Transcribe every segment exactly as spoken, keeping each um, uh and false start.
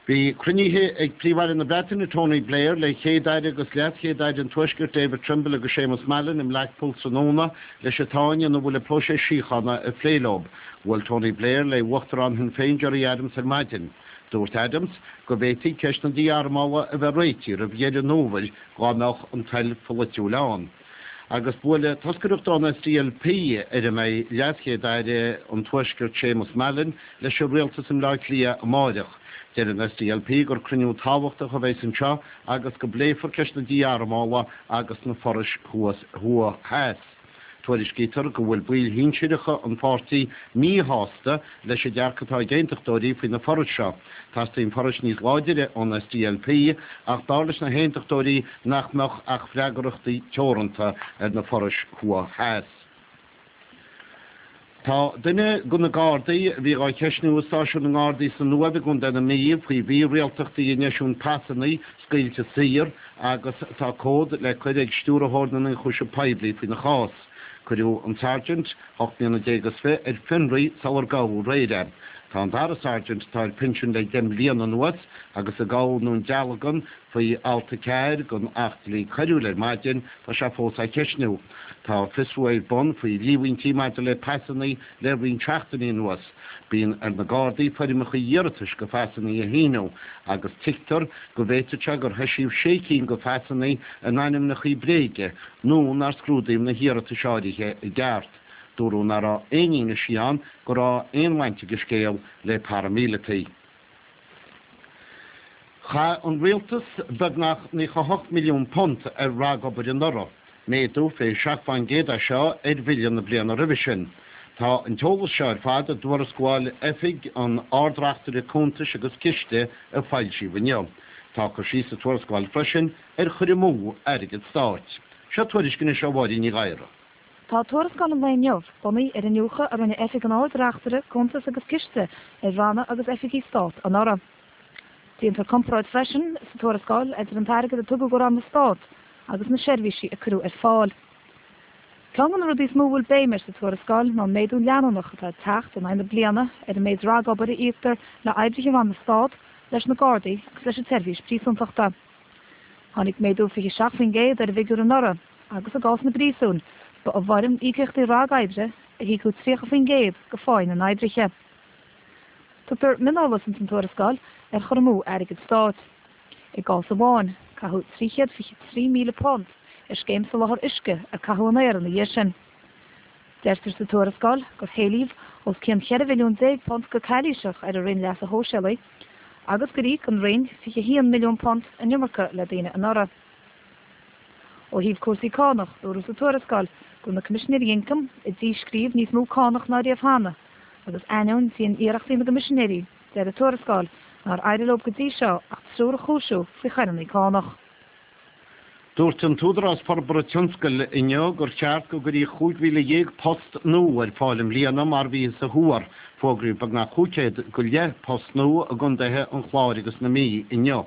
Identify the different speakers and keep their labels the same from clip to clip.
Speaker 1: Bhí cruinnithe ag Príomh-Aire na Breataine Tony Blair le Céad-Aire agus LeasChéad-Aire an Tuaiscirt David Trimble agus Seamus Mallon i mBlackpool tráthnóna leis an tsáinn ina bhfuil an próiseas síochána a phlé leo. Bhuail Tony Blair le Uachtarán Shinn Féin Gerry Adams ar maidin. Dúirt Adams go bhféadfaí ceist na dí-armála a bheith réitithe roimh dheireadh an fhómhair dá mbeadh an toil pholaitiúil ann. Agus buailfidh toscaireacht ón SDLP ar a mbeidh LeasChéad-Aire an Tuaiscirt Seamus Mallon leis an rialtas i mBleá Cliath amárach. Deir an SDLP gur cruinniú tábhachtach a bheas anseo agus go bpléifear ceist na dí-armála agus na forais thuas thuaidh theas. Tuairiscítear go bhfuil baill shinsearacha an pháirtí míshásta leis an dearcadh atá ag aontachtóirí faoi na forais seo. Teastaíonn forais níos láidre ón SDLP ach dar leis na haontachtóirí nach mbeadh ach freagrachtaí teoranta ar na forais thuaidh theas. Tá duine de na Gardaí a bhí á cheisniú i stáisiún na nGardaí san Uaimh i gContae na Mí faoi mhírialtachtaí in eisiúint pasanna scaoilte saor agus tá comhad le cur ag stiúrthóir na n-ionchúiseamh poiblí faoina chás. Cuireadh an Sergeant ocht mbliana déag is fiche ar fionraí sular gabhadh aréir é. Tá an dara Sergeant atá ar pinsean le deich mbliana anuas agus a gabhadh i nDún Dealgan faoi alt a ceathair den Acht Dlí Coiriúil ar maidin tá sé fós á cheisniú. Tá fiosrú ar bun faoi líomhaintí maidir le pasanna le roinnt seachtainí anuas. Bíonn ar na Gardaí foirmeacha iarratais do phasanna a shíniú agus tuigtear go bhféadfadh sé gur heisíodh sé cinn de phasanna in ainmneacha bréige nó nár scrúdaíodh na hiarratais áirithe i gceart. Dúradh nach raibh aon fhianaise ann go raibh aon bhaint ag an scéal le paraimíleataigh. Chaith an rialtas beagnach naocha hocht milliún punt ar ragobair anuraidh, méadú fiche seacht faoin gcéad é seo ar bhille na bliana roimhe sin. Tá an t-eolas seo ar fad i dtuarascáil Oifig an Ard-Reachtaire Cuntas agus Ciste a foilsíodh inniu. Tá cur síos sa tuarascáil freisin ar chur amú airgead stáit. Seo tuairisc anois ó Mháirín Ní Ghadhra.
Speaker 2: Tá tuarascáil an lae inniu bunaithe ar iniúchadh a rinne Oifig an Ard-Reachtaire Cuntas agus Ciste ar ranna agus oifigí stáit anuraidh. Déantar comparáid freisin sa tuarascáil idir an t-airgead a tugadh do ranna stáit agus na seirbhísí a cuireadh ar fáil. Ceann de na rudaí is mó a bhfuil béim air sa tuarascáil ná méadú leanúnach atá ag teacht in aghaidh na bliana ar an méid ragobair a íoctar le oibrithe ranna stáit, leis na Gardaí agus leis an tseirbhís príosúntachta. Tháinig méadú fiche seacht faoin gcéad ar an bhfigiúr anuraidh agus i gcás na bpríosún ba i bhfoirm íocaíochtaí ragoibre a híocadh tríocha faoin gcéad de phá na n-oibrithe. Tugtar mioneolas ins an tuarascáil ar chur amú airgead stáit. I gcás amháin, caitheadh trí chéad fiche trí míle punt ar scéim soláthar uisce a caitheadh in aer ina dhiaidh sin. Deirtear sa tuarascáil gur héilíodh os cionn ceithre mhilliún déag punt go calaoiseach ar an Roinn Leasa Shóisialaigh agus gur íoc an Roinn fiche a haon milliún punt an iomarca le daoine anuraidh. Ó thaobh cúrsaí cánach, dúradh sa tuarascáil go bhfuil na Coimisinéirí Ioncaim ag díscríobh níos mó cánach ná riamh cheana agus ainneoin dian-iarrachtaí na gCoimisinéirí, deir an tuarascáil nár éirigh leo go dtí seo ach triúr a chúisiú faoi choireanna cánach.
Speaker 1: Dúirt an tÚdarás Forbartha Tionscail inniu gur cheart go gcuirfí cúig mhíle dhéag post nua ar fáil i mbliana mar bhíothas a thuar. Fógraíodh beagnach cúig chéad go leith post nua i gcontaetha an Chláir agus na Mí inniu.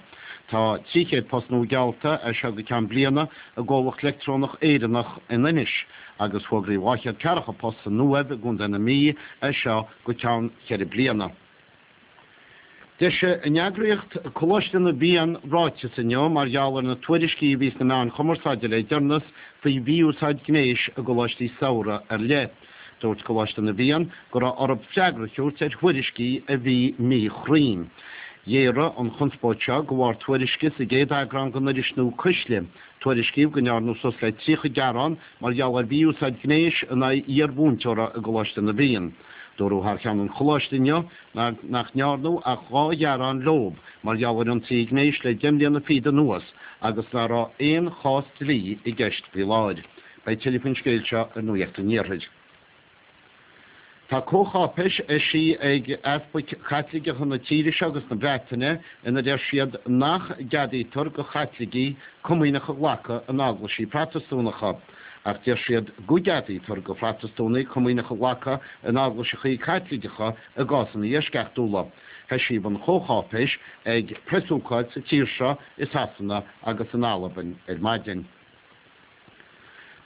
Speaker 1: Tá trí chéad post nua geallta as seo go ceann bliana i gcomhlacht leictreonach Éireannach in Inis agus fógraíodh dhá chéad ceathracha post san Uaimh i gcontae na Mí as seo go ceann ceithre bliana. D'eisigh an eagraíocht Coláiste na bhFiann ráiteas inniu mar gheall ar na tuairiscí a bhí sna meáin chumarsáide le deireanas faoi mhí-úsáid gnéis i gcoláistí samhraidh ar leith. Dúirt Coláiste na bhFiann go raibh orthu freagra a thabhairt ar thuairiscí a bhí míchruinn. Ghéaraigh an chonspóid seo de bharr tuairisce sa gcéad eagrán den iris nua Cuisle. Tuairiscíodh go ndearnadh suas le tríocha gearán mar gheall ar mhí-úsáid gnéis in aghaidh iar-mhúinteora i gColáiste na bhFiann. Dúradh thar cheann an choláiste inniu nach ndearnadh ach dhá ghearán leo mar gheall ar ionsaí gnéis le deich mbliana fichead anuas agus nach raibh aon chás dlí i gceist faoi láthair. Beidh tuilleadh faoin scéal seo ar Nuacht an Iarthair. Tá comhcháipéis eisithe ag easpaig Chaitliceacha na tíre seo agus na Breataine ina deir siad nach gceadaítear do Chaitlicigh comaoineach a ghlacadh in eaglaisí Protastúnacha. Ach deir siad go gceadaítear do Phrotastúnaigh comaoineach a ghlacadh in eaglaiseacha Caitliceacha i gcásanna eisceachtúla. Eisíodh an chomhcháipéis ag preasócáid sa tír seo i Sasana agus in Albain ar maidin.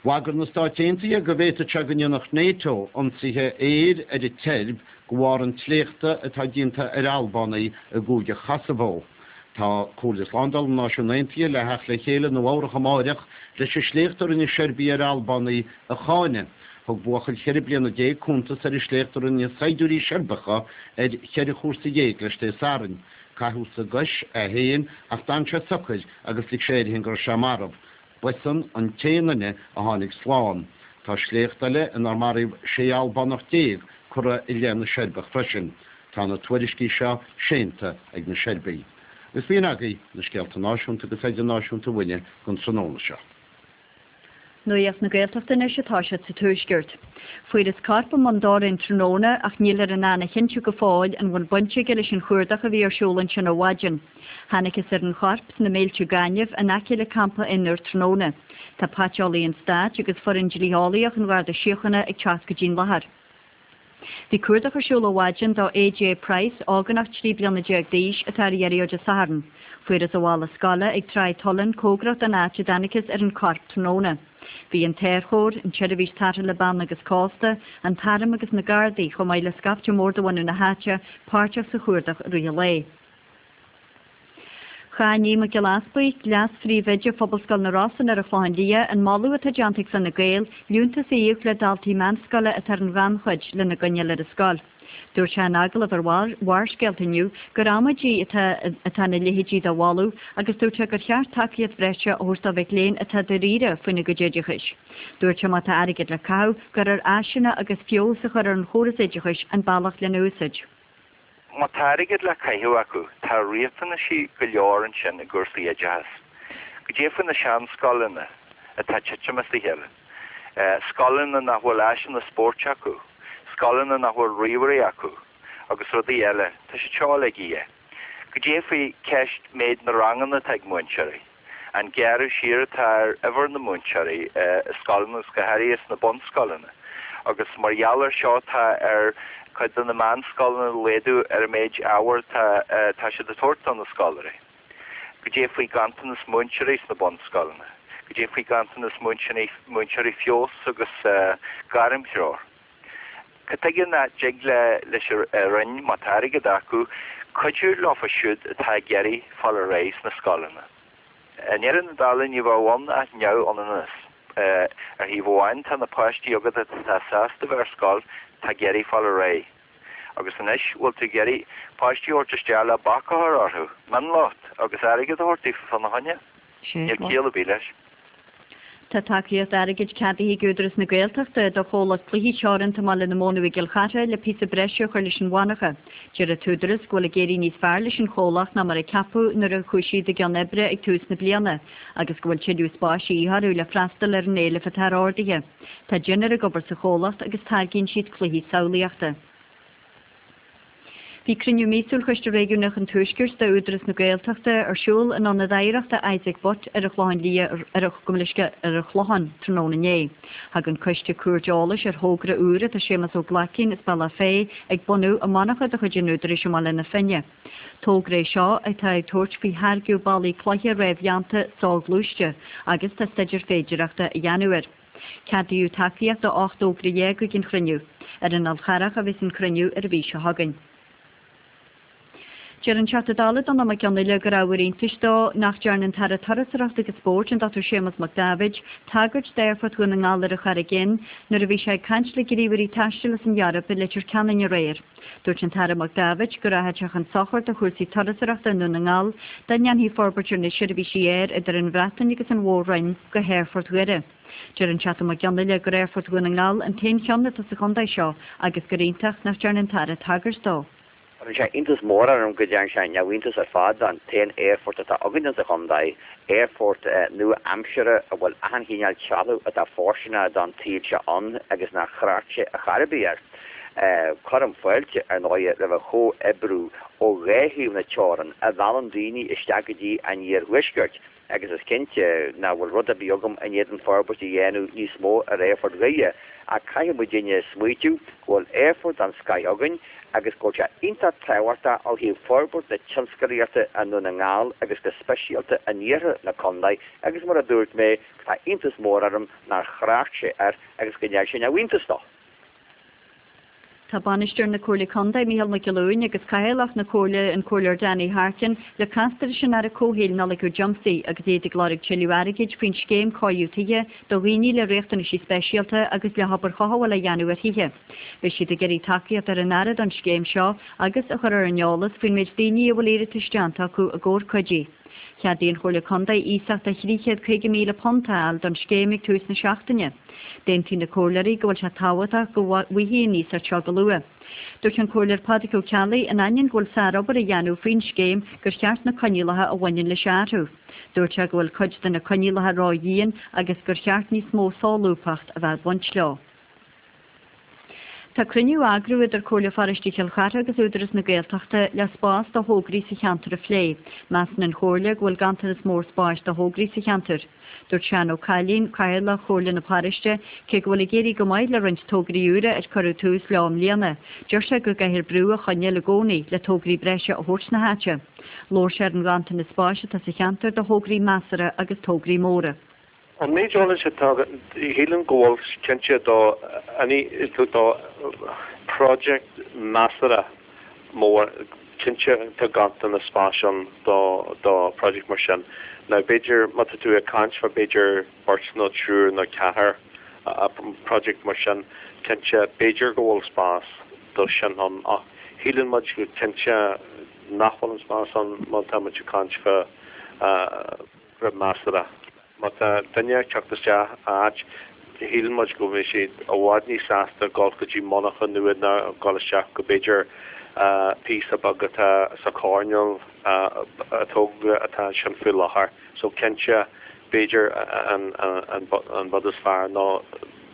Speaker 1: Bhagair na Stáit Aontaithe go bhféadfadh sé go ndéanfadh NATO ionsaithe aeir ar an tSeirbia de bharr an tsléachta atá déanta ar Albánaigh i gCúige Chosavó. Tá Comhairle Slándála na Náisiún Aontaithe le theacht le chéile i Nua Eabhrac amáireach leis an sléacht a rinne Seirbigh ar Albánaigh a cháineadh. Thug buachaill cheithre bliana déag cuntas ar an sléacht a rinne saighdiúirí Seirbeacha ar cheithre chúrsa dhéag leis Dé Sathairn. Caitheadh sa gcois é féin ach d'fhan sé socair agus lig sé air féin go raibh sé marbh. B'eisean an t-aon duine a tháinig slán. Tá sléacht eile inar maraíodh sé Albánach déag curtha i leith na Seirbeach freisin. Tá na tuairiscí seo séanta ag na Seirbigh. Agus b'in agaibh na scéalta náisiúnta agus idirnáisiúnta uainne don tráthnóna seo.
Speaker 3: Nuacht na Gaeltachta anois atá siad sa Tuaisceart. Fuarthas corp i mBun Dobhráin tráthnóna ach níltear in ann a chinntiú go fóill an bhfuil baint aige leis an chuardach a bhí ar siúl ansin ó mhaidin. Thángthas ar an chorp sna mílte gainimh in aice le campa Fhionnúr tráthnóna. Tá paiteolaí an stáit agus foireann dlítheolaíoch an Gharda Síochána ag teacht go dtí'n láthair. Bhí cuardach ar siúl ó mhaidin do AJ Price ógánach trí bliana déag d'aois atá ar iarraidh Dé Sathairn. Fuarthas a mhála scoile ag Tráigh Tullan cóngarach don áit a dtángthas ar an chorp tráthnóna. Bhí an tAerchór, an tSeirbhís Tarrthála Beanna agus Cósta, an tArm agus na Gardaí chomh maith le scaifte mór de bhunadh na háite páirteach sa chuardach i rith an lae. Cháin Aodh Mac Giolla Easbuig, leas-phríomhoide Phobalscoil na Rosann ar an Chlochán Liath an moladh atá déanta ag Fine Gael, liúntas a íoc le daltaí meánscoile atá ar an ghannchuid lena gcoinneáil ar an scoil. Dúirt sé in agallamh ar Bharrscéalta inniu gur amaidí atá atá na leithéidí de mholadh agus dúirt sé gur cheart tacaíocht bhreise a thabhairt do mhic léinn atá dáiríre faoina gcuid oideachais. Dúirt sé má tá airgead le caitheamh gur ar áiseanna agus feabhas a chur ar an chóras oideachais an bealach lena úsáid.
Speaker 4: Má tá airgead le caitheamh acu tá riachtanaisí go leor ansin i gcúrsaí oideachais. Goidé faoi na seanscoileanna atá titim as a chéile. Scoileanna nach bhfuil áiseanna spóirt acu, scoileanna nach bhfuil ríomhairí acu, agus rudaí eile, tá sé seo le é. Goidé faoi ceist méid na ranganna atá ag múinteoirí. An gearradh siar atá ar uimhir na múinteoirí i scoileanna go háirithe sna bunscoileanna. Agus mar gheall air seo tá ar cuid de na meánscoileanna laghdú ar an méid ábhar tá siad ag tabhairt do na scoláirí. Goidé faoi ganntanas múinteoirí sna bunscoileanna. Goidé faoi ganntanas múinteoirí múinteoirí feabhais agus gairmthreoir. Cad chuige nach dtig le leis an Roinn má tá airgead acu cuidiú leofa siúd atá ag iarraidh fáil ar aghaidh sna scoileanna. I ndeireadh na dála ní bheadh ann ach neamhionannas. Ar thaobh amháin tá na páistí agat atá sásta bheith ar scoil tá ag iarraidh fáil ar aghaidh. Agus anois bhfuil tú ag iarraidh páistí a thabhairt isteach le bac a chur orthu, mionlucht agus airgead a thabhairt daofa fána choinne. Níl ciall ar bith leis.
Speaker 3: Tá tacaíocht airgid ceadaithe ag Údarás na Gaeltachta do chomhlacht cluichí teoranta i mBaile na Móna i gCill Chartha le píosa breise a chur leis an mhonarcha. Deir an tÚdarás go bhfuil ag éirí níos fearr leis an chomhlacht ná mar a ceapadh nuair a chuaigh siad i gcionn oibre ag tús na bliana, agus go bhfuil tuilleadh spáis de dhíth orthu le freastal ar an éileamh atá ardaithe. Tá deichniúr ag obair sa chomhlacht agus táirgíonn siad cluichí samhlaíochta. Bhí cruinniú míosúil Choiste Réigiúnach an Tuaiscirt d'Údarás na Gaeltachta ar siúl in Ionad Oidhreachta Isaac Butt ar an Chlochán Liath ar ar an Chlochán tráthnóna inné. Thug an coiste cuairt eolais ar thogra úr atá Séamus Ó Glaicín as Bealach Féich ag bunú i monarcha de chuid an Údaráis i mBaile na Finne. Togra é seo atá ag tabhairt faoi tháirgeadh ballaí cloiche réamhdhéanta soghluaiste agus tá staidéar féidearthachta á dhéanamh air. Ceadaíodh tacaíocht do ocht dtogra dhéag ag an chruinniú. Ar an Fhál Charrach a bheas an cruinniú ar an mhí seo chugainn. Deir an Teachta Dála Donnchadh Mac Fhionnghaile gur ábhar iontais dó nach ndearna an tAire Turasóireachta agus Spóirt an Dr Séamus Mac Daibhéid tagairt d'Aerfort Dhún na nGall ar an Charraig Fhinn nuair a bhí sé ag caint le gníomhairí taistil as an Eoraip i Leitir Ceanainn aréir. Dúirt an tAire Mac Daibhéid go rachadh sé chun sochair do chúrsaí turasóireachta i nDún na nGall dá ndéanfaí forbairt ar na seirbhísí aeir idir an Bhreatain agus an Mhór-Roinn go hAerfort Dhoire. Deir an Teachta Mac Fhionnghaile gur Aerfort Dhún na nGall an t-aon cheann atá sa chontae seo agus gur iontach nach ndearna an tAire tagairt dó.
Speaker 5: Cuireann sé iontas mór orm go dtearn sé neamhiontas ar fad den t-aon aerfort atá againn sa chontae, aerfort nua-aimseartha a bhfuil achan chineál trealamh atá fóirsteanach don tsaol seo ann agus nár thrácht sé ar chor ar bith air. Cuirim fáilte, ar ndóigh, roimh an chomhoibriú ó dhá thaobh na teorann a mheallann daoine isteach go dtí an iarthuaisceart. agus is cinnte nach bhfuil rud ar bith agam in éadan forbairt a dhéanamh níos mó ar Aerfort Dhoire, ach caithfidh muidinne smaoitiú go bhfuil aerfort den scoith againn agus go bhfuil sé iontach tábhachtach ó thaobh forbairt na tionscalaíochta i nDún na nGall agus go speisialta in iarthar na contae agus mar a dúirt mé tá iontas mór orm nár thrácht sé air agus go ndearn sé neamhiontas dó.
Speaker 3: Tá Bainisteoir na Comhairle Contae, Mícheál Mac Giolúin, agus Cathaoirleach na Comhairle, an Comhairleoir Danny Harkin, le castar leis an Aire Comhshaoil Nollaig Ó Diomsaigh agus iad ag lorg tuilleadh airgid faoin scéim cóiriú tithe do dhaoine le riachtanaisí speisialta agus le hobair chothabhála a dhéanamh ar thithe. Beidh siad ag iarraidh tacaíocht ar an Aire don scéim seo agus a chur ar an eolas faoin méid daoine a bhfuil iarratais déanta acu i gcomhair cuidiú. Cheadaigh an Chomhairle Contae iasacht de thrí chéad caoga míle punt a fháil don scéim ag tús na seachtaine. D'aontaigh na comhairleoirí go bhfuil sé tábhachtach go bhfaighfí an iasacht seo go luath. Dúirt an Comhairleoir Pádraig Ó Ceallaigh, in ainneoin go bhfuil sárobair á dhéanamh faoin scéim, gur cheart na coinníollacha a bhaineann leis a athrú. Dúirt sé go bhfuil cuid de na coinníollacha ró-dhian agus gur cheart níos mó solúbthacht a bheith ag baint leo. Tá cruinniú á eagrú idir Comhairle Pharóiste Chill Chartha agus Údarás na Gaeltachta le spás do thograí sa cheantar a phlé. Measann an Chomhairle go bhfuil ganntanas mór spáis do thograí sa cheantar. Dúirt Seán Ó Cailín, Cathaoirleach Chomhairle na Paróiste, cé go bhfuil ag éirí go maith le roinnt tograí úra ar cuireadh tús leo i mbliana, deir sé go gcaithfear brú a choinneáil i gcónaí le tograí breise a thabhairt na háite. Labhair sé ar an ghanntanas spáis atá sa cheantar do thograí measartha agus tograí móra.
Speaker 6: An méid eolais atá agam, shílim go bhfuil cinnte do do project measartha mór, cinnte tá ganntanas spáis ann do do project mar sin. Now b'fhéidir má tá tú ag caint fá b'fhéidir beirt nó triúr nó ceathrar project mar sin, cinnte b'fhéidir go bhfuil spás do sin ann ach shíleann muid go cinnte nach bhfuil an spás ann má tá muid ag caint fá rud measartha. Má tá duine ag teacht isteach áit, shíleann muid go mbeidh siad i bhfad níos sásta dul go dtí monarcha nua ná dul isteach go b'fhéidir píosa beag atá sa choirnéal a tógadh atá ansin faoi láthair. So cinnte b'fhéidir an an rud is fearr ná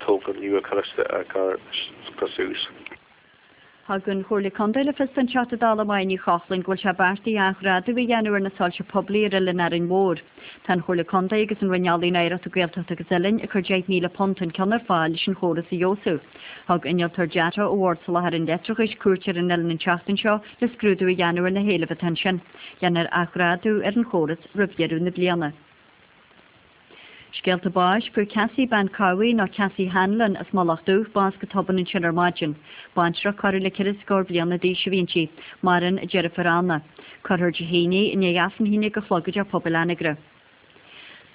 Speaker 6: tógáil nua a chur suas.
Speaker 3: Thug an Chomhairle Contae le fios don Teachta Dála Máire Ní Chochlainn go bhfuil sé beartaithe athghrádú a dhéanamh ar na soilse poiblí ar Oileán Árainn Mhór. Tá an Chomhairle Contae agus an Roinn Ealaíon, Oidhreachta, Gaeltachta agus Oileáin ag cur deich míle punt an ceann ar fáil leis an chóras a fheabhsú. Thug innealtóir deartha ó Bhord Soláthair an Leictreachais cuairt ar an oileán an tseachtain seo le scrúdú a dhéanamh ar na héilimh atá ansin. Déanfar athghrádú ar an chóras roimh dheireadh na bliana. Scéalta báis, Fuair Cassie Bean Cowie nó Cassie Hanlon as Mullach Dubh bás go tobann ansin ar maidin. Baintreach corradh le ceithre scór bliana d'aois a bhí inti. Maireann a deirfiúr Anna. Cuirfear Dé hAoine í i ndiaidh Aifreann a haon déag a chlog i dTeach Pobail Anagaire.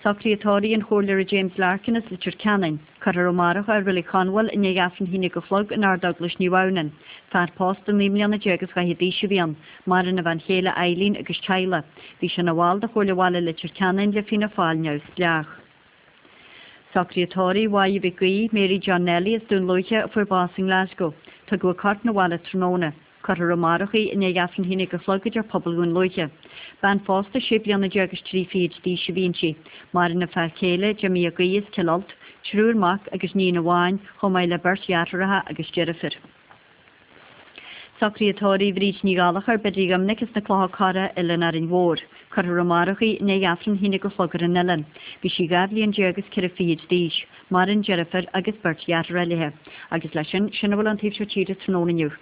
Speaker 3: Socruithe tórraimh an Chomhairleora James Larkin as Leitir Ceanainn. Cuirfear amárach é i Reilig Chonbhail i ndiaidh Aifreann a haon déag a chlog in Ard-Eaglais Naomh Adhamhnáin. Fear pósta naoi mbliana déag is dhaichead d'aois a bhí ann. Maireann a bhean chéile Eileen agus teaghlach. Bhí sé ina bhall de Chomhairle Bhaile Leitir Ceanainn le Fianna Fáil Neamhspleách. Socruithe tórraimh Mháire Mhic Aoidh, Mary John Nelly as Dún Lúiche a fuair bás i nGlasgow. Tugadh a corp 'na bhaile tráthnóna. Cuirfear amárach í i ndiaidh Aifreann a haon déag a chlog i dTeach Pobail Dhún Lúiche. Bean phósta sé bliana déag is trí fichid d'aois a bhí inti. Maireann a fear céile, Jimmy Mac Aoidh as Cill Ailt, triúr mac agus níon amháin, chomh maith le beirt dheartháireacha agus deirfiúr. Socruithe tórraimh Bhríd Ní Ghallchóir, Biddy Dhoiminic as na Clocha Corra, Oileán Árainn Mhór. Cuirfear amárach í i ndiaidh Aifreann a haon déag a chlog ar an oileán. Bhí sí dhá bhliain déag is ceithre fichid d'aois. Maireann deirfiúr agus beirt dheartháir léi. Agus leis sin, sin a bhfuil ón taobh seo tíre tráthnóna inniu.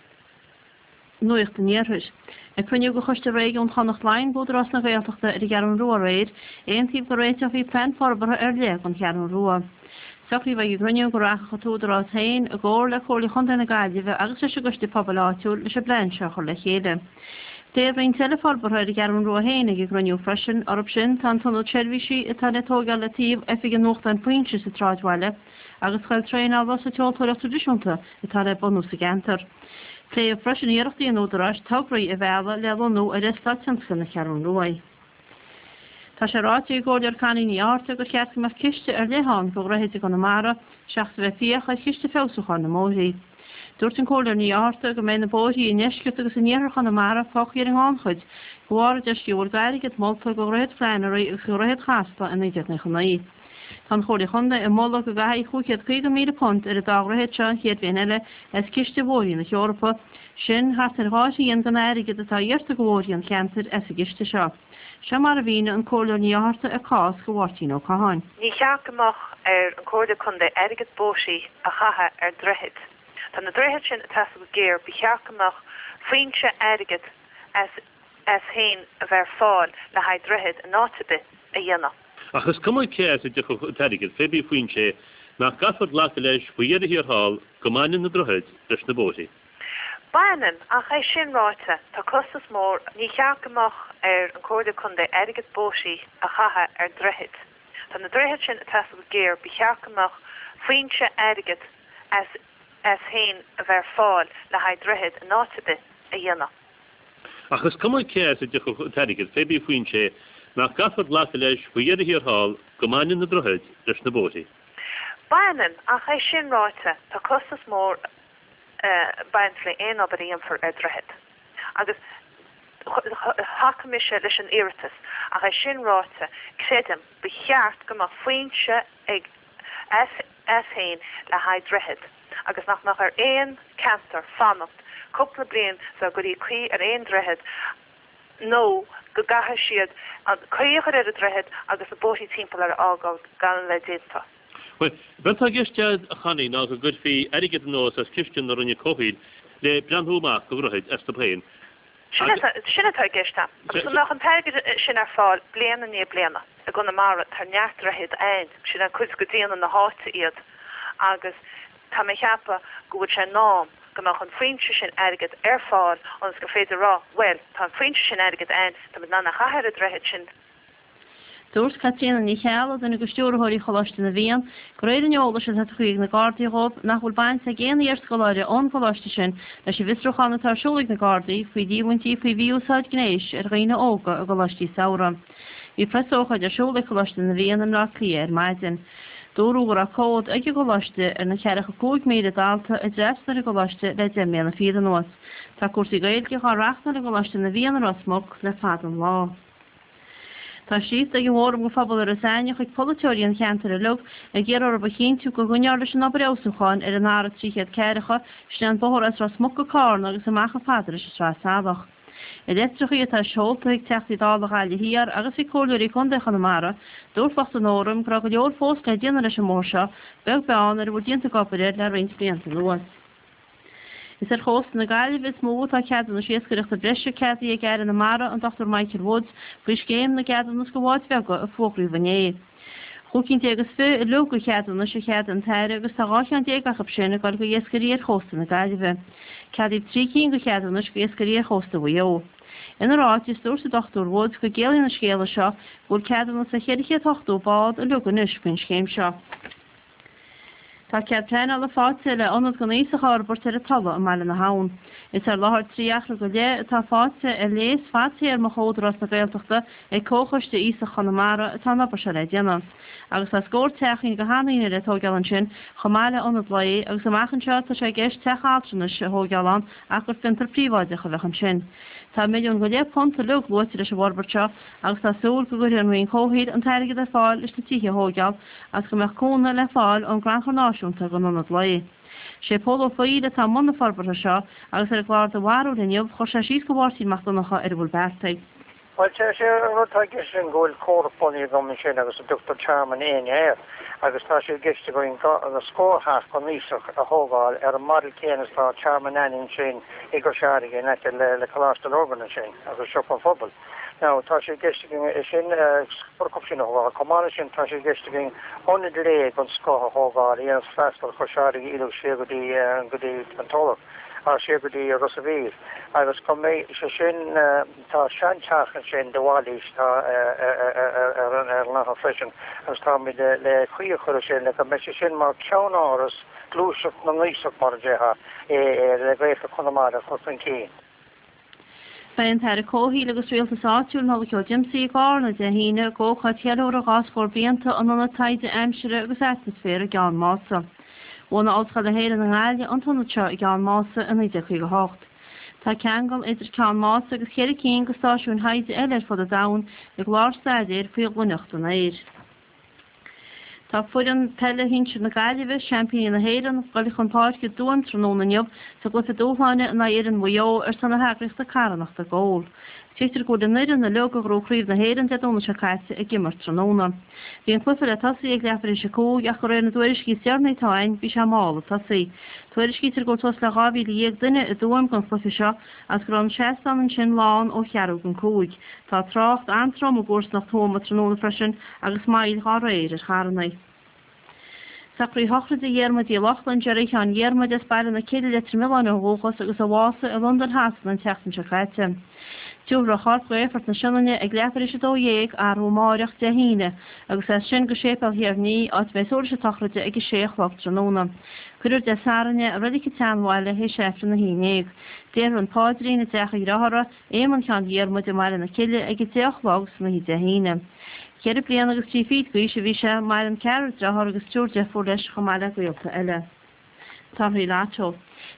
Speaker 7: Nuacht an Iarthair. Ag cruinniú de Choiste Réigiún Chonnacht Laighean d'Údarás na Gaeltachta ar an gCeathrú Rua aréir, aontaíodh go réiteofaí plean forbartha ar leith don Cheathrú Rua. Socraíodh ag an gcruinniú go rachadh an tÚdarás féin i gcomhar le Comhairle Chontae na Gaillimhe agus leis an gCoiste Pobail áitiúil leis an bplean seo a chur le chéile. Pléadh roinnt eile forbartha ar an gCeathrú Rua féin ag an gcruinniú freisin. Orthu sin tá an t-ionad seirbhísí atá le tógáil le taobh oifig an nuachtáin Foinse sa tsráidbhaile agus scoil traenála sa tseoltóireacht traidisiúnta atá le bunú sa gceantar. Pléadh freisin iarrachtaí an Údaráis tograí a mhealladh le lonnú ar eastát tionscail na Ceathrún Rua. Tá sé ráite ag an gComhairleoir Connie Ní Fhátharta gur cheart go mbeadh ciste ar leith ann do dhroichid i gConamara seachas a bheith ag fiach ar chiste feabhsúcháin na mbóithrí. Dúirt an Comhairleoir Ní Fhátharta go mbeidh na bóithrí i ndeisceart agus in iarthar Chonamara fágtha ar an ngannchuid de bharr, a deir sí, go bhfuil airgead molta do Dhroichead Flannery agus do Dhroichead Chasla i naoi déag nócha naoi. Tá an Chomhairle Chontae ag moladh go gcaithfí cúig chéad caoga míle punt ar an dá dhroichead seo an chéad bhliain eile as ciste bhóithrí na hEorpa, sin thart ar dhá thrian den airgead atá iarrta do bhóithrí an cheantair as an gciste seo. Seo mar a mhínigh an Comhairleoir Ní Fhátharta a cás do Mháirtín Ó Catháin.
Speaker 8: Ní cheart go mbeadh ar an Chomhairle Contae airgead bóithrí a chaitheamh ar dhroichid. Tá na droichid sin ag teastáil go géar, ba cheart go mbeadh foinse airgid as as féin a bheith ar fáil le haghaidh droichead in áit ar bith a dhéanamh.
Speaker 9: Ach is cuma cé as a dtiocfadh an t-airgead, pé bí foinse é, nach gcaithfear glacadh leis faoi dheireadh thiar thall go mbaineann na droichid leis na bóithrí.
Speaker 8: Baineann, ach é sin ráite, tá costas mór, ní cheart go mbeadh ar an Comhairle Contae airgead bóithrí a chaitheamh ar droichid. Tá na droichid sin ag teastáil go géar, ba cheart go mbeadh foinse airgid as as féin a bheith ar fáil le haghaidh droichead in áit ar bith a dhéanamh.
Speaker 9: Ach is cuma cé as a dtiocfadh an t-airgead, pé bí foinse é, nach gcaithfear glacadh leis faoi dheireadh thiar thall go mbaineann na droichid leis na bóithrí.
Speaker 8: Baineann, ach é sin ráite, tá costas mór ag baint le aon obair a dhéanfar ar droichead. Agus thacaigh mise leis an iarratas, ach é sin ráite, creidim, ba cheart go mbeadh foinse ag as as féin le haghaidh droichead agus nach mbeadh ar aon ceantar fanacht cúpla bliain sula gcuirfí caoi ar aon droichead nó go gcaithfidh siad an caoi a chur ar an droichead agus na bóithrí timpeall air a fhágáil gan a bheith déanta.
Speaker 9: Bhuel, b'é atá i gceist a Chonnie ná go gcuirfí airgead anuas as ciste na Roinne Comhshaoil le breathnú amach do dhroichid astu féin.
Speaker 8: Sin atá i gceist agam. Agus go mbeadh an t-airgead sin ar fáil bliain i ndiaidh bliana. I gConamara tá neart droichead ann, sin an cuid de D N A na háite iad agus tá mé ag ceapadh go bhfuil sé in am go mbeadh an foinse sin airgid ar fáil ionas gur féidir a rá, bhuel, tá an foinse sin airgid ann, táimid in ann a chaitheamh ar an droichead sin.
Speaker 7: Dúirt Caitríona Ní Cheallaigh, duine de stiúrthóirí Choláiste na bhFiann, de réir an eolais atá tugtha ag na Gardaí dhóibh, nach bhfuil baint ag aon iarscoláire ón gcoláiste sin leis an bhfiosrúchán atá ar siúl ag na Gardaí faoi líomhaintí faoi mhí-úsáid gnéis ar dhaoine óga i gcoláistí samhraidh. Bhí preasócáid ar siúl ag Coláiste na bhFiann i mBleá Cliath ar maidin. Dúradh go raibh comhad ag an gcoláiste ar na ceathracha cúig míle dalta a d'fhreastail ar an gcoláiste le deich mbliana fichead anuas. Tá cúrsaí Gaeilge á reáchtáil i gColáiste na bhFiann i Ros Muc le fada an lá. Tá scríofa ag an bhFóram don Phobal i Ros Aithne chuig polaiteoirí an cheantair uilig ag iarraidh orthu a chinntiú go gcoinneofar leis an obair fheabhsúcháin ar an R trí chéad ceathracha, sin an bóthar as Ros Muc go Cárna agus amach chomh fada leis an Sraith Salach. I litreacha atá seolta chuig Teachtaí Dála Ghaillimh Thiar agus chuig Comhairleoirí Contae Chonamara, dúirt lucht an Fhóraim go raibh go leor fós le déanamh leis an mbóthar seo, beag beann ar a bhfuil déanta d'obair air le roinnt blianta anuas. Is ar chósta na Gaillimhe is mó atá ceadúnais iascaireachta breise ceadaithe ag Aire na Mara, an Dochtúir Michael Woods, faoi scéim na gceadúnas do bháid bheaga a fógraíodh inné. Chúig cinn déag is fiche uilig de cheadúnais a cheadaigh an tAire agus tá dhá cheann déag acu sin ag dul go iascairí ar chósta na Gaillimhe. Ceadaíodh trí cinn de cheadúnais go iascairí ar chósta Mhaigh Eo. Ina ráiteas, dúirt an Dochtúir Woods go gciallaíonn an scéala seo go bhfuil ceadúnas do cheithre chéad ochtó bád uilig anois faoin scéim seo. Tá cead pleanála faighte le ionad don aosach a fhorbairt ar an Tulaigh i mBaile na hAbhann. Is ar láthair trí acra go leith atá faighte ar léas fadtéarmach ó Údarás na Gaeltachta ag Comhchoiste Aosach Chonamara atá an obair seo le déanamh. Agus tá scór teachín do sheandaoine le tógáil ansin chomh maith le ionad lae agus amach anseo tá sé i gceist teach altranais a thógáil ann ach gur fiontar príobháideach a bheadh ansin. Tá milliún go leith punt uilig luaite leis an bhforbairt seo agus tá súil go gcuirfidh an Roinn Comhshaoil an t-airgead ar fáil leis na tithe a thógáil agus go mbeadh cúnamh le fáil ón gCrannchur Náisiúnta don ionad lae. Sé Pól Ó Foighil atá i mbun na forbartha seo agus ar an gclár Do Bharúil inniu chuir sé síos do Mháirtín Mac Donncha ar a bhfuil beartaithe.
Speaker 10: Bhuel, sé an rud atá i gceist sin go bhfuil comhlacht bunaithe agam ansin agus a dtugtar Tearmann Éinne air agus tá sé i gceist againn na scór teach don aosach a thógáil ar an model céanna is atá Tearmann Éinne ansin i gCois Fharraige in aice le Coláiste Lurgan ansin agus Siopa an Phobail. Now, tá sé i gceist againn é sin, scór acu sin a thógáil. Chomh maith leis sin, tá sé i gceist againn ionad lae den scoth a thógáil a dhéanfas freastal ar Chois Fharraige uilig siar go dtí, go dtí an Tulach, siar go dtí Ros a' Mhíl. Agus go mbeidh sé sin, tá seanteach ansin de Bhailís atá ar an láthair freisin agus táimid le caoi a chur air sin le go mbeidh sé sin mar cheannáras gluaiseacht na n-aosach mar a déarfá le Gaeltacht Chonamara a chur chun cinn.
Speaker 7: Beidh an tAire Comhshaoil agus Rialtais Áitiúil, Nollaig Ó Diomsaigh, i gCarna Dé hAoine ag ócáid cheiliúradh dhá scór blianta an Ionaid Taighde Aimsire agus Atmaisféir i gCeann Mása. Bhunaigh Ollscoil na hÉireann i nGaillimh an t-ionad seo i gCeann Mása i naoi déag caoga a hocht. Tá ceangal idir Ceann Mása agus ceithre cinn de stáisiúin thaighde eile ar fud an domhain i gclár staidéir faoi dhoimhneacht an aeir. Tá foireann peile shinsir na Gaillimhe, seaimpíní na hÉireann, ag dul chun páirce i dTuaim tráthnóna inniu sa gcluiche dúshláin in aghaidh fhoireann Mhaigh Eo ar son na heagraíochta carthanachta Goal. Tuigtear go bhfuil an fhoireann uilig a ghnóthaigh Craobh na hÉireann Dé Domhnaigh seo caite ag imirt tráthnóna. Bhí an cluiche le tosaí ag leathuair tar éis a cúig ach de réir na dtuairiscí is deireanaí atá againn bhí sé mall ag tosaí. Tuairiscítear go bhfuil suas le dhá mhíle dhéag duine i dTuaim don chluiche seo agus go raibh an seastán ansin lán ó cheathrú don cúig. Tá trácht an-trom i gcomharsanacht Thuama tráthnóna freisin agus moill dhá réir ar charranna. Socraíodh sochraide Dhiarmuid Uí Lochlainn, Jerry Sheáin Dhiarmuid as Baile na Cille, Leitir Mealláin ó dhúchas agus a bhásaigh i Londain Shasana an tseachtain seo caite. Tabharfar a chorp go Aerfort na Sionainne ag leathuair tar éis a dó dhéag arú amáireach, Dé hAoine, agus as sin go Séipéal Thír an Fhia, áit a mbeidh sóirsí sochraide ag a sé a chlog tráthnóna. Cuirfear Dé Sathairn é i Reilig an tSeanbhaile théis Aifreann a haon déag. Déarfar an paidrín i dteach a dhreathara, Éamonn Sheáin Dhiarmuid i mBaile na Cille ag a deich a chlog san oíche Dé hAoine. Ceithre bliana agus trí fichid d'aois a bhí sé, maireann ceathrar dearthár agus triúr deirfiúr leis chomh maith le gaolta eile. Torthaí Lotto.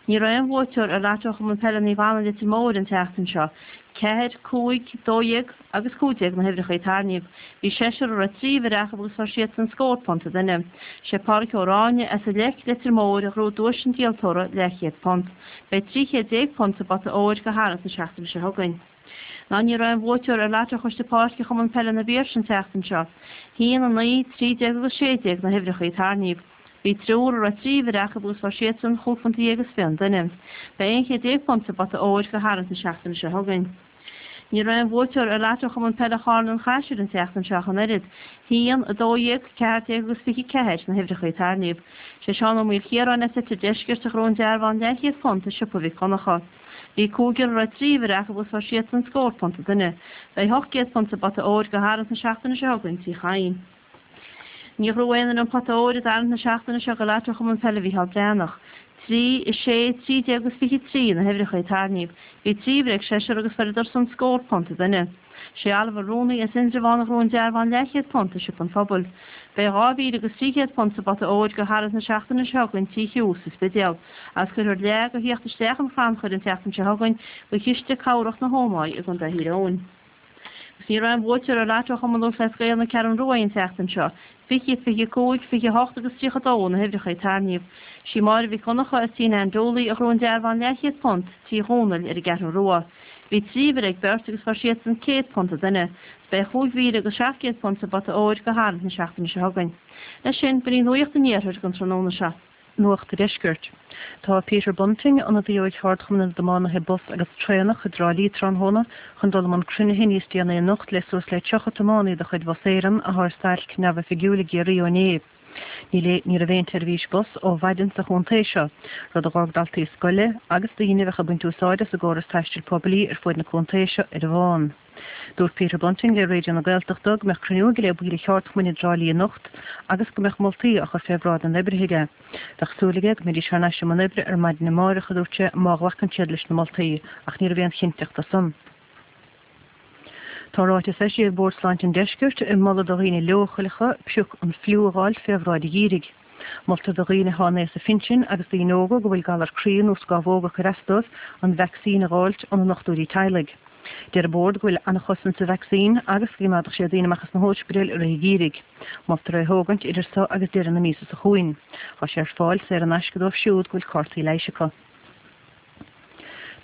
Speaker 7: Ní raibh aon bhuaiteoir ar Lotto Chumann Peile Naomh Anna Leitir Móir an tseachtain seo. Ceathair, cúig, dó dhéag agus cúig déag na huimhreacha a tarraingíodh. Bhí seisear a raibh trí uimhir acu agus fuair siadsan scór punt an duine. Sé Pádraic Ó Ráinne as an Leic, Leitir Móir a ghnóthaigh duais an díoltóra, leathchéad punt. Beidh trí chéad déag punt sa bpota óir do tharraingt na seachtaine seo chugainn. Ná ní raibh aon bhuaiteoir ar Lotto Choiste Páirce Chumann Peile na bPiarse an tseachtain seo. Haon, a naoi, trí déag agus sé déag na huimhreacha a tarraingíodh. Bhí triúr a raibh trí uimhir acu agus fuair siadsan chúig phunt déag is fiche an duine. Beidh aon chéad déag punt sa bpota óir do tharraingt na seachtaine seo chugainn. Ní raibh aon bhuaiteoir ar Lotto Chumann Peile Charna an Chaisil an tseachtain seo ach an oiread. Haon, a dó dhéag, ceathair déag agus fiche ceathair na huimhreacha a tarraingíodh. Sé Seán Ó Maoilchiaráin as Leitir Deiscirt a ghnóthaigh an dearbhán leathchéad punt i Siopa Mhic Dhonncha. Bhí cúigear a raibh trí uimhir acu agus fuair siadsan scór punt an duine. Beidh ocht gcéad punt sa bpota óir do tharraingt na seachtaine seo chugainn Tí Chadhain. Níor ghnóthaigh aon duine an pota óir i dtarraingt na seachtaine seo do Lotto Chumann Peile Mhícheál Breathnach. Trí, a sé, trí déag agus fiche trí na huimhreacha a tarraingíodh. Bhí trí uimhir ag seisear agus fuaireadar san scór punt an duine. Sé Oliver Rooney as Indreabhán a ghnóthaigh an dearbhán leathchéad punt i Siopa an Phobail. Beidh dhá mhíle agus trí chéad punt sa bpota óir do tharraingt na seachtaine seo chugainn Tí Hugh sa Spidéal. Agus cuirfear leath de theacht isteach an chrannchuir an tseachtain seo chugainn go Chiste Cabhrach na hÓmaí i gContae Thír Eoghain. Agus ní raibh aon bhuaiteoir ar Lotto Chumann Lúthchleas Gael na Ceathrún Rua an tseachtain seo. Fiche, fiche cúig, fiche hocht agus tríocha dó na huimhreacha a tarraingíodh. Sí Máire Mhic Dhonncha as Tí Nan Dooley a ghnóthaigh an dearbhán leathchéad punt Tí Dhónaill ar an gCeathrú Rua. Bhí trí uimhir ag beirt agus fuair siadsan céad punt an duine. Beidh chúig mhíle agus seacht gcéad punt sa bpota óir do tharraingt na seachtaine seo chugainn. Leis sin, b'in í nuacht an iarthair don tráthnóna seo.
Speaker 11: Nuacht an Deiscirt. Tá Peter Bunting, ionadaí ó Cheardchumann na dTiománaithe Bus agus Traenach i dTrá Lí tráthnóna chun dul i mbun cruinnithe níos déanaí anocht le suas le tríocha tiománaí de chuid Bhus Éireann atá ar stailc neamhoifigiúil i gCiarraí ó inné. Ní raibh aon tseirbhís bus ó mhaidin sa chontae seo, rud a d'fhág daltaí scoile agus daoine a bheadh ag baint úsáid as an gcóras taistil poiblí ar fud na contae seo ar an bhfán. Dúirt Peter Bunting le Raidió na Gaeltachta go mbeadh cruinniú aige le baill an cheardchumainn i dTrá Lí anocht agus go mbeadh moltaí á chur fé bhráid na n-oibrithe aige. Bheadh súil aige go mbeidís thar n-ais i mbun oibre ar maidin amárach, a dúirt sé, má ghlacann siad leis na moltaí, ach ní raibh aon chinnteacht de san. Tá ráiteas eisithe ag Bord Sláinte an Deiscirt ag moladh do dhaoine leochaileacha pioc an fliú a dh'fháilt fé bhráid an gheimhridh. Moltar do dhaoine atá in aos a phinsin agus daoine óga go bhfuil galar croí nó scámhóg ag cur as dóibh an vacsaín a dh'fháilt óna ndochtúirí teaghlaigh. Deir an Bord go bhfuil an-chosaint sa vacsaín agus go gcoimeádfadh sé daoine amach as na hóispidéil i rith an gheimhridh. Moltar é a thógaint idir so agus deireadh na míosa seo chugainn. Tá sé ar fáil saor in aisce dóibh siúd go bhfuil cártaí leighis acu.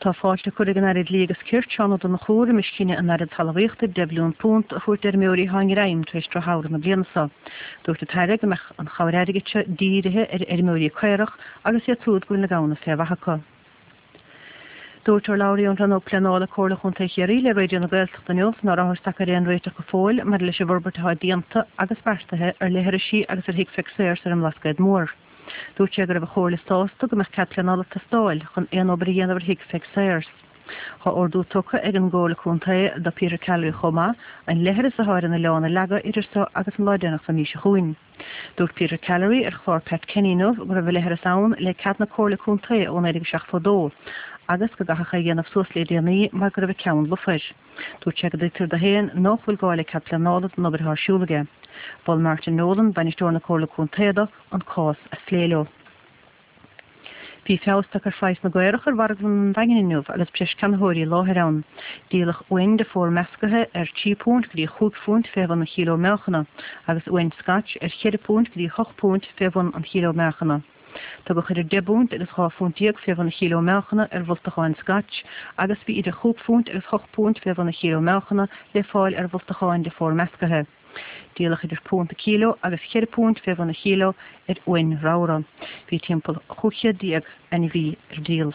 Speaker 11: Tá fáilte curtha ag an Aire Dlí agus Cirt, Seán Ó Donnchú, roimis chinneadh an Aire Talmhaíochta deich mbilliún punt a thabhairt d'fheirmeoirí atá i ngreim tar éis drochshamhradh na bliana seo. Dúirt an tAire go mbeadh an chabhair airgid seo dírithe ar fheirmeoirí caorach agus iad siúd go bhfuil na gamhna fé mhaith acu. Dúirt urlabhraí ón Rannóg Pleanála Comhairle Chontae Chiarraí le Raidió na Gaeltachta inniu nach rabhthas tagtha ar aon réiteach go fóill maidir leis an bhforbairt atá déanta agus beartaithe ar leithrisí agus ar Thigh Pheig Sayers ar an mBlascaod Mór. Dúirt sé go raibh an Chomhairle sásta go mbeadh cead pleanála ag teastáil chun aon obair a dhéanamh ar Thigh Pheig Sayers. Tá ordú tugtha ag an gComhairle Contae do Peter Callery chomh maith an leithreas atá ar an oileán a leagadh idir seo agus an lá deireanach den mhí seo chugainn. Dúirt Peter Callery ar chlár Pat Kenny inniu go raibh an leithreas ann le cead na Comhairle Contae ó naoi déag seachtó dó agus go gcaithfeadh é a dhéanamh suas le déanaí mar go raibh a ceann lofa air. Dúirt sé go dtuigtear dó féin nach bhfuil gá le cead pleanála don obair atá ar siúl aige. Mhol Martin Nolan, bainisteoir na Comhairle Contae dó an cás a phlé leo. Bhí feabhas tagtha ar phraghas na gcaorach ar mharglann an Daingin inniu agus breis ceannaitheoirí i láthair ann. Díoladh uain de phór meascaithe ar trí phunt go dtí chúig phunt fé bhun an chíló meáchana agus uain Scotch ar cheithre phunt go dtí hocht bpunt fé bhun an chíló meáchana. Tugadh idir deich bpunt agus dhá phunt déag fé bhun an chíló meáchana ar bholtacháin Scotch agus bhí idir chúig phunt agus hocht bpunt fé bhun an chíló meáchana le fáil ar bholtacháin de phór meascaithe. Díoladh idir punt an cíló agus cheithre phunt fé bhun an chíló ar uain ramhra. Bhí timpeall chúig chéad déag ainmhí ar díol.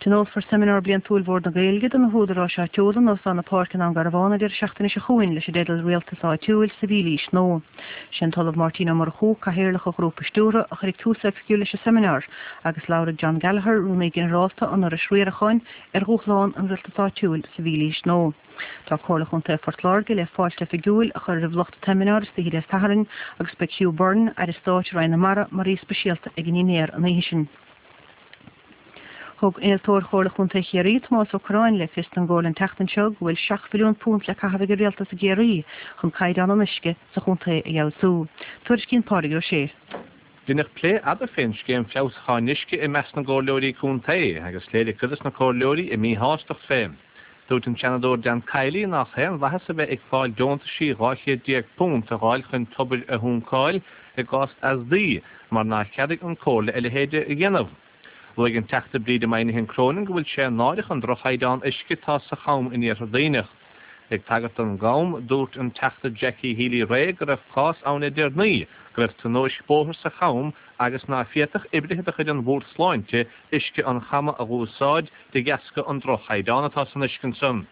Speaker 11: Tionólfar Seimineár Bliantúil Bhord na Gaeilge do na húdaráis áitiúla in Óstán na Páirce i nDún Garbhán an deireadh seachtaine seo chugainn leis an dteideal Rialtas Áitiúil sa Mhílaois Nua. Sé an tOllamh Máirtín Ó Murchú, Cathaoirleach an Ghrúpa Stiúrtha, a chuirfidh tús oifigiúil leis an seimineár agus labharfaidh John Gallagher, Rúnaí Ginearálta an Fhorais Riaracháin, ar dhúshláin an rialtais áitiúil sa mhílaois nua. Tá Comhairle Chontae Phort Láirge le fáilte oifigiúil a chur roimh lucht an tseimineáir istoíche Dé Sathairn agus beidh Hugh Byrne, Aire Stáit i Roinn na Mara, mar aoi speisialta ag an ndinnéar an oíche sin. Thug Innealtóir Chomhairle Chontae Chiarraí, Tomás Ó Curráin, le fios don gComhairle an tseachtain seo go bhfuil seacht mhilliún punt le caitheamh ag an Rialtas i gCiarraí chun caighdeán an uisce sa chontae a fheabhsú. Tuairiscíonn Pádraig Ó Sé.
Speaker 12: Deineadh plé fhada fén scéim feabhsúcháin uisce i measc na gcomhairleoirí contae agus léirigh cuid des na comhairleoirí a míshástacht fé. Dúirt an Seanadóir Dan Kiely nach aon mhaitheas a bheith ag fáil deontaisí dhá chéad déag punt a dh'fháil chun tobair a shúncáil i gcás easdaí mar nár cheadaigh an Comhairle a leithéid a dhéanamh. Luaigh an Teachta Bríde Moynihan Cronin go bhfuil sé náireach an droch-chaighdeán uisce atá sa Cham in Iarthar Duibhneach. Ag tagairt don gCam, dúirt an Teachta Jackie Healy-Rae go raibh cás ann le deireanaí go raibh tionóisc bóthair sa Cham agus ná féadfadh oibrithe de chuid an Bhoird Sláinte uisce an Chama a dh'úsáid de dheasca an droch-chaighdeán atá san uisce ansan.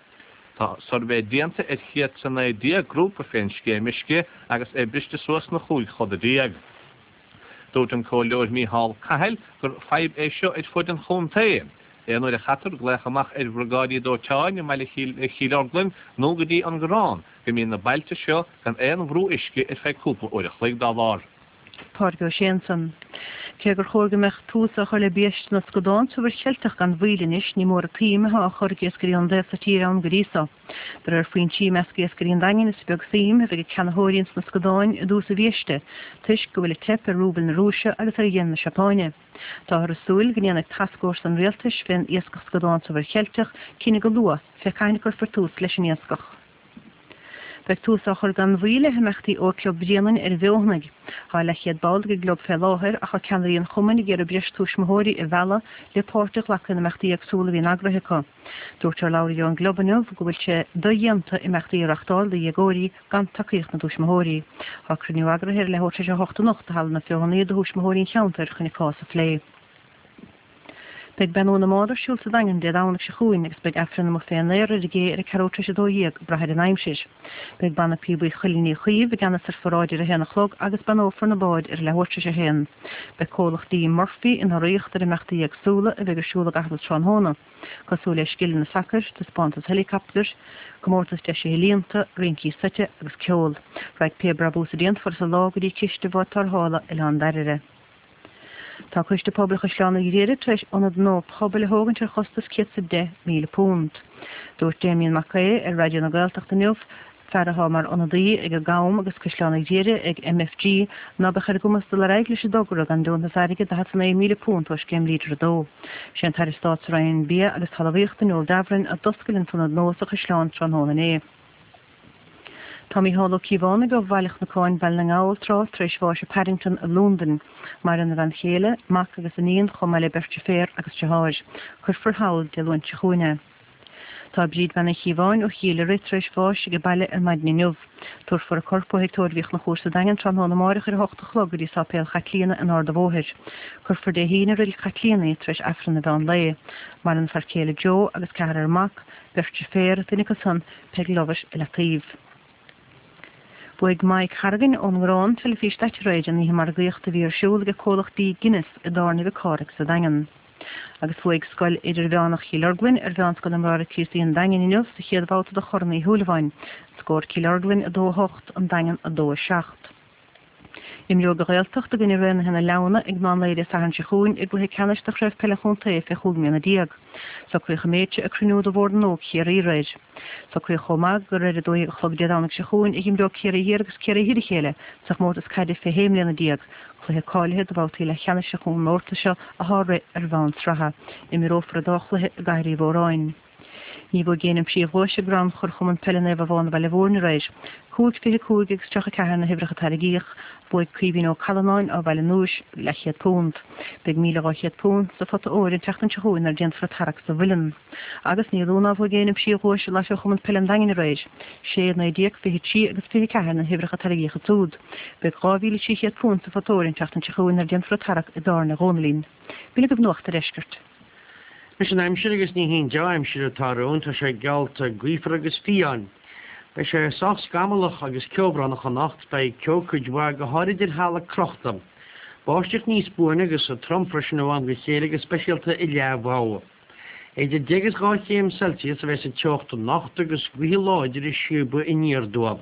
Speaker 12: Tá suirbhé déanta ar chéad 's a naoi déag grúpa fén scéim uisce agus é briste suas 'na chúig choda déag. Dúirt an Comhairleoir Mícheál Cahill gur fadhb é seo ar fud an chontae. Aon uair a chaitear glaoch amach ar bhriogáidí dóiteáin i mbaile Chill Orglan nó go dtí an Garrán go mbíonn na bailte seo gan aon bhrú uisce ar feadh cúpla uair a chloig dá bharr.
Speaker 11: Pádraig Ó Sé ansan. Cé gur chóir go mbeadh tús á chur le biaiste na scadán sa Mhuir Cheilteach gan mhoill anois, ní mór an tsuim atá á chur ag iascairí an sa tír ann go dtí so. De réir foinsí i measc iascairí an Daingin is beag suim a bheidh ag ceannaitheoirí ins na scadáin i dtús an bhiaiste, toisc go bhfuil ag teip ar rúbal na Rúise agus ar yen na Seapáine. Táthar ag súil go ndéanfaidh tascfhórsa an rialtais fén iascach scadán sa Mhuir Cheilteach cinneadh go luath fé cathain a chuirfear tús leis an iascach. Beidh tús á chur gan mhoill le himeachtaí Ógchlub Bhréanainn ar an bhFeothanaigh. Tá leathchéad ball ag an gclub fé láthair ach tá ceannairí an chumainn ag iarraidh breis tuismitheoirí a mhealladh le páirt a ghlacadh in imeachtaí éagsúla a bhíonn eagraithe acu. Dúirt urlabhraí ón gclub inniu go bhfuil sé dodhéanta imeachtaí a reachtáil do dhéagóirí gan tacaíocht na dtuismitheoirí. Tá cruinniú eagraithe ar leathuair tar éis a hocht anocht i Halla na Feothanaí do thuismitheoirí an cheantair chun an cás a phlé. Beidh Beannú na mBád ar siúl sa Daingean Dé Domhnaigh seo chugainn agus beidh Aifreann amuigh fén aer ar an gcé ar a ceathrú tar éis a dó dhéag, ag brath ar an aimsir. Beidh Banna Píobaí Chuilinn Uí Chaoimh i gceannas ar pharáid ar a haon a chlog agus beannófar na báid ar a leathuair tar éis a haon. Beidh comhlacht D Murphy ina urraíocht ar imeachtaí éagsúla a bheidh ar siúl i gcaitheamh an tráthnóna, cosúil le scileanna sacair, taispeántas heileacaptair, comórtas deisithe líonta, rincí seite agus ceol. Raghaidh pé brabús a déanfar sa lá go dtí ciste bhád tarrthála Oileán Dairbhre. Tá Coiste Pobail Chaisleán an Ghriaire tar éis ionad nua pobail a thógaint ar chostas céad 's a deich míle punt. Dúirt Damien Mac Aodha ar Raidió na Gaeltachta inniu, fear atá mar ionadaí ag an gCam agus Caisleán an Ghriaire ag MFG, ná beadh ar a gcumas dul ar aghaidh leis an dtogra gan deontas airgid daichead 's a naoi míle punt ó Scéim Leader a dó. Sé an tAire Stáit sa Roinn Bia agus Talmhaíochta Noel Davoren a d'oscail an t-ionad nua sa Chaisleán tráthnóna inné. Tá Mícheál Ó Cíobhánaigh ó Bhaile Chnocáin, Baile na nGall, tráth tar éis bháis i Paddington i Londain. Maireann a bhean chéile, mac agus iníon, chomh maith le beirt deirféar agus deartháir. Cuirfear thall Dé Luain seo chugainn é. Tá Bríd Bean Uí Chíobháin ó Chill Ioraí tar éis bháis ag an baile ar maidin inniu. Tabharfar a corp ó Thigh Tórraimh Uí Chonchúir sa Daingean tráthnóna amáireach ar a hocht a chlog go dtí Sáipéal Chaitlíona in Ard an Bhóthair. Cuirfear Dé hAoine i Reilig Chaitlíona í tar éis Aifreann an mheán lae. Maireann a fear céile Joe agus ceathrar mac, beirt deirféar, duine acu san, Peg Lovett i Leataobh. Bhuaigh Mike Harrigan ón nGarrán teilifís daite aréir in oíche margaíochta a bhí ar siúl ag comhlacht dí Guinness i dTábhairne Mhic Cárthaigh sa Daingean. Agus bhuaigh Scoil Idirmheánach Chill Orglan ar Mheánscoil na mBráithre Críostaí an Daingin inniu sa chéad bhabhta de Chorn Uí Shúilleabháin. Scór Cill Orglan a dó a hocht, An Daingean a dó a seacht. Imreoidh an Ghaeltacht i gcoinne Raonaithe na Leamhna ag meán lae Dé Sathairn seo chugainn i gcluiche ceannais de Chraobh Peile an Chontae fé chúig mbliana déag. Socraíodh an méid seo ag cruinniú de Bhord na nÓg Chiarraí aréir. Socraíodh chomh maith gur ar a dó dhéag a chlog Dé Domhnaigh seo chugainn a dh'imreoidh Ciarraí Thiar agus Ciarraí Thoir a chéile sa chomórtas caide fé shé mbliana déag, cluiche cáilithe do bhabhtaí leathcheannais an chomórtais seo atá á rith ar bhonn sraithe. Imreofar an dá chluiche i gCathair Uí Mhóráin. Ní bhuaigh éinne an príomhdhuais i gcrannchur Chumann Peile Naomh Abán Bhaile Mhúirne aréir. Cúig fiche cúig agus tríocha ceathair na huimhreacha a tairgíodh. Bhuaigh Caoimhín Ó Callanáin ó Bhaile an Núis leathchéad punt. Beidh míle dhá chéad punt sa phota óir an tseachtain seo chugainn nuair a déanfar an tarrac sa Mhuileann. Agus ní lú ná bhuaigh éinne an príomhdhuais i Lotto Chumann Peile an Daingin aréir. Sé, naoi déag, fiche trí agus fiche ceathair na huimhreacha a tairgíodh ansúd. Beidh dhá mhíle trí chéad punt sa phota óir an tseachtain seo chugainn nuair a déanfar an tarrac i dTábhairne Dhónaillín. B'in agaibh Nuacht a' Deiscirt.
Speaker 13: Anois an aimsir agus ní haon dea-aimsir atá romhainn, tá sé geallta gaofar agus fiáin. Beidh sé sách scamallach agus ceobhránach anocht, beidh ceo cuid mhaith, go háirid ar thalamh crochta. Báisteach níos buaine agus trom freisin ó am go chéile go speisialta i Leath Bhogha. Idir deich agus dhá chéim Celsius a bheidh sa teocht anocht agus gaotha láidre ag síobadh aniar aduaidh.